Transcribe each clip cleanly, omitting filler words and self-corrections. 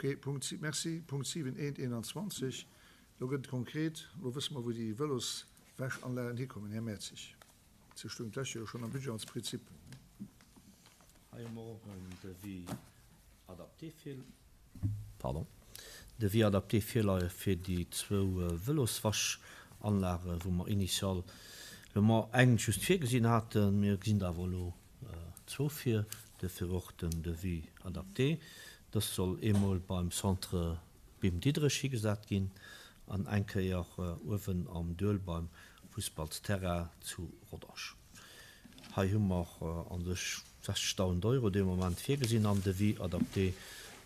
Ok, Punkt, merci. Punkt 7, 1, 21, do gëtt et konkret. Elo wësse mer, wou déi Vëloswäschanlagen hikommen, Här Mertzig. Se stoung d'lescht Joer schonn am Budget als Prinzip. Hei hu mer och en Devis adapté vir, pardon, Devis adapté virleie fir déi zwou Vëloswäschanlagen, wou mer initial elo mer eng just virgesinn haten. Mir gesinn der awer elo zwou vir, duerfir och den Devis adapté. Dës soll eemol beim Centre Bim Diderich higesat ginn an eng Kéier uewen am Duel beim Fussballsterrain zu Rodange. Hei hu mer an sech 60.000 Euro dee Moment virgesinn am Devis adapté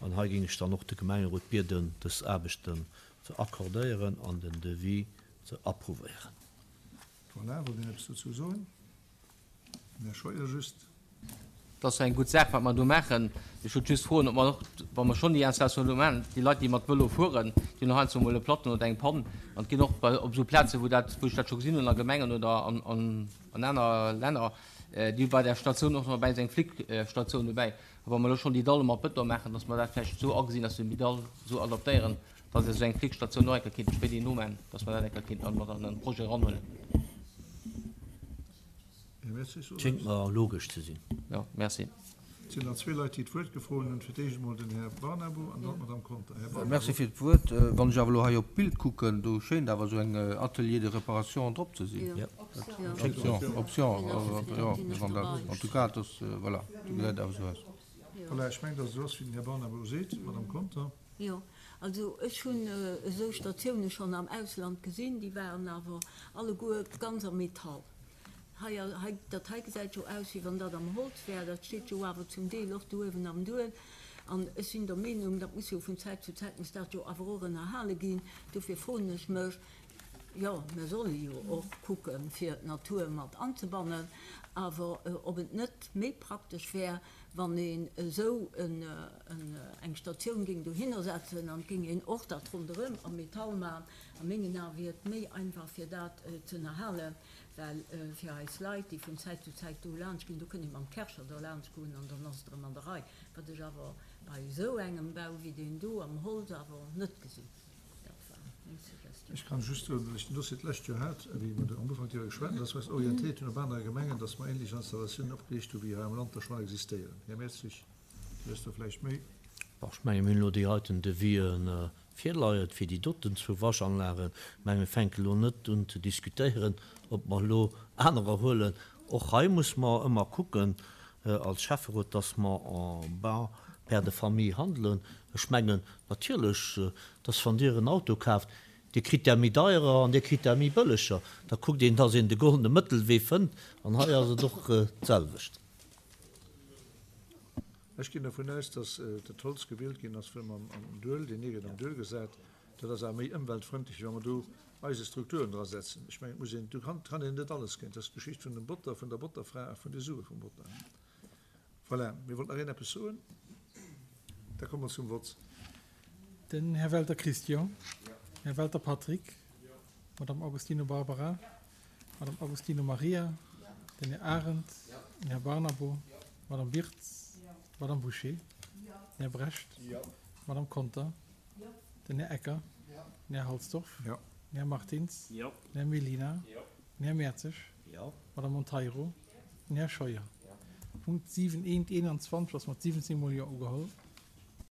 an hei géing ech dann och de Gemengerot bieden, dës Aarbechten ze accordéieren an den Devis ze approuvéieren. Voilà, wollt een eppes dozou soen? Den Här Scheuer just. Et ass jo eng gutt Saach, wat mer do maachen. Ech wollt just froen, ob mer och, wa mer schonn déi Installation do maachen, déi Leit, déi mat Vëlo fueren, déi hunn och heiansdo emol e Platten oder eng Pann an et ginn och bei, op esou Plazen, wou dat, wou ech dat scho gesinn hunn a Gemengen oder an, an, an aner Länner, déi hu bei der Statioun och nach dobäi esou eng Flickstatioun dobäi. A wa mer elo schonn déi Dalle mat Bëton maachen, dass mer dat vläicht esou agesinn, dass mer déi Dall esou adaptéieren, dass esou eng Flickstatioun och eng Kéier kéinte spéiderhin nomachen, dass mer dat eng Kéier kéinten mat an den Projet eranhuelen. Schéngt mer logesch ze sinn. Jo, merci. Et sinn nach zwee Leit, déi d'Wuert gefroen hunn. Fir d'éischt emol den Här Barnabo an dann d'Madame Conter. Här Barnabo. Merci fir d'Wuert. Wann ech awer elo hei op d'Bild kucken, do schéint awer esou eng Atelier de réparation drop ze sinn. Jo. Option, Option, jo, wann dat, en tout cas, et ass, voilà, do gesäit awer esou aus. Voilà, ech mengen, datt et esou ass, wéi den Här Barnabo seet. Madame Conter. Jo, also ech hunn esou Statioune schonn am Ausland gesinn, déi waren awer alleguer ganz am Metall. Hei, hei, dat hei gesäit jo aus, wéi wann dat am Holz wär. Dat steet jo awer zum Deel och do uewen am Duel. An ech sinn der Meenung, dat muss jo vun Zäit zu Zäit muss dat jo awer och ënnerhale ginn. Dofir froen ech mech, jo, mir solle jo och kucken, fir d'Natur mat anzebannen, awer ob et net méi praktesch wär, wann een esou eng Statioun géing dohinner setzen an et géing een och dat ronderëm am Metall maachen. A mengen Ae wier et méi einfach, fir dat ze ënnerhalen. Well fir eis Leit, déi vun Zäit zu Zäit do laanscht ginn, do kënnt ee mam Kärcher derlaanscht goen an dann ass et erëm an der Rei, wat ech awer bei esou engem Bau wéi deen do am Holz awer net gesinn. Dat war meng Suggestion. Ech kann just soen, well ech den Dossier d'lescht Joer hat, wéi mer do am Ufank driwwer geschwat hunn, dass mer eis orientéiert hunn op anere Gemengen, dass mer ähnlech Installatiounen opgeriicht hu wéi hei am Land der schonn existéieren. Här Mertzig, Dir wësst do vläicht méi. Bon, ech menge mir hunn elo déi heiten Devisen virleien fir déi doten zwou Waschanlagen. Ech menge mir fänken elo net un ze diskutéieren, ob mer elo anerer huelen. Och hei muss mer ëmmer kucken als Schäfferot, dass mer en bon père de famille handelen. Ech mengen natierlech, dass wann Dir en Auto kaaft, Dir kritt där méi deierer an Dir kritt där méi bëlleger. Da kuckt een, dass een de goldene Mëttelwee fënnt an hei ass et och d'selwecht. Ech ginn dervun aus, dass dat Holz gewielt ginn ass, well mer am Duel, deen ee gëtt am Duel gesat, dat ass awer méi ëmweltfrëndlech, wéi wa mer do eise Strukturen dra setzen. Ech mengen, et muss een, do kann, kann een net alles kënnen. Dat ass d'Geschicht vun dem Botter, vun der Botterfra a vun de Sue vum Botter. Voilà, mir wollt nach een eppes soen? Da komme mer zum Vott. Den Här Welter Christian. Här Welter Patrick. Madame Agostino Barbara. Madame Agostino Maria, den Här Arendt, den Här Barnabo, d'Madame Wirtz, d'Madame Bouché, den Här Brecht, d'Madame Conter, den Här Ecker, den Här Halsdorf, den Här Martins, den Här Mellina, den Här Mertzig, d'Madame Monteiro, den Här Scheuer. Punkt 7 1 21 ass mat 17 mol Jo ugeholl.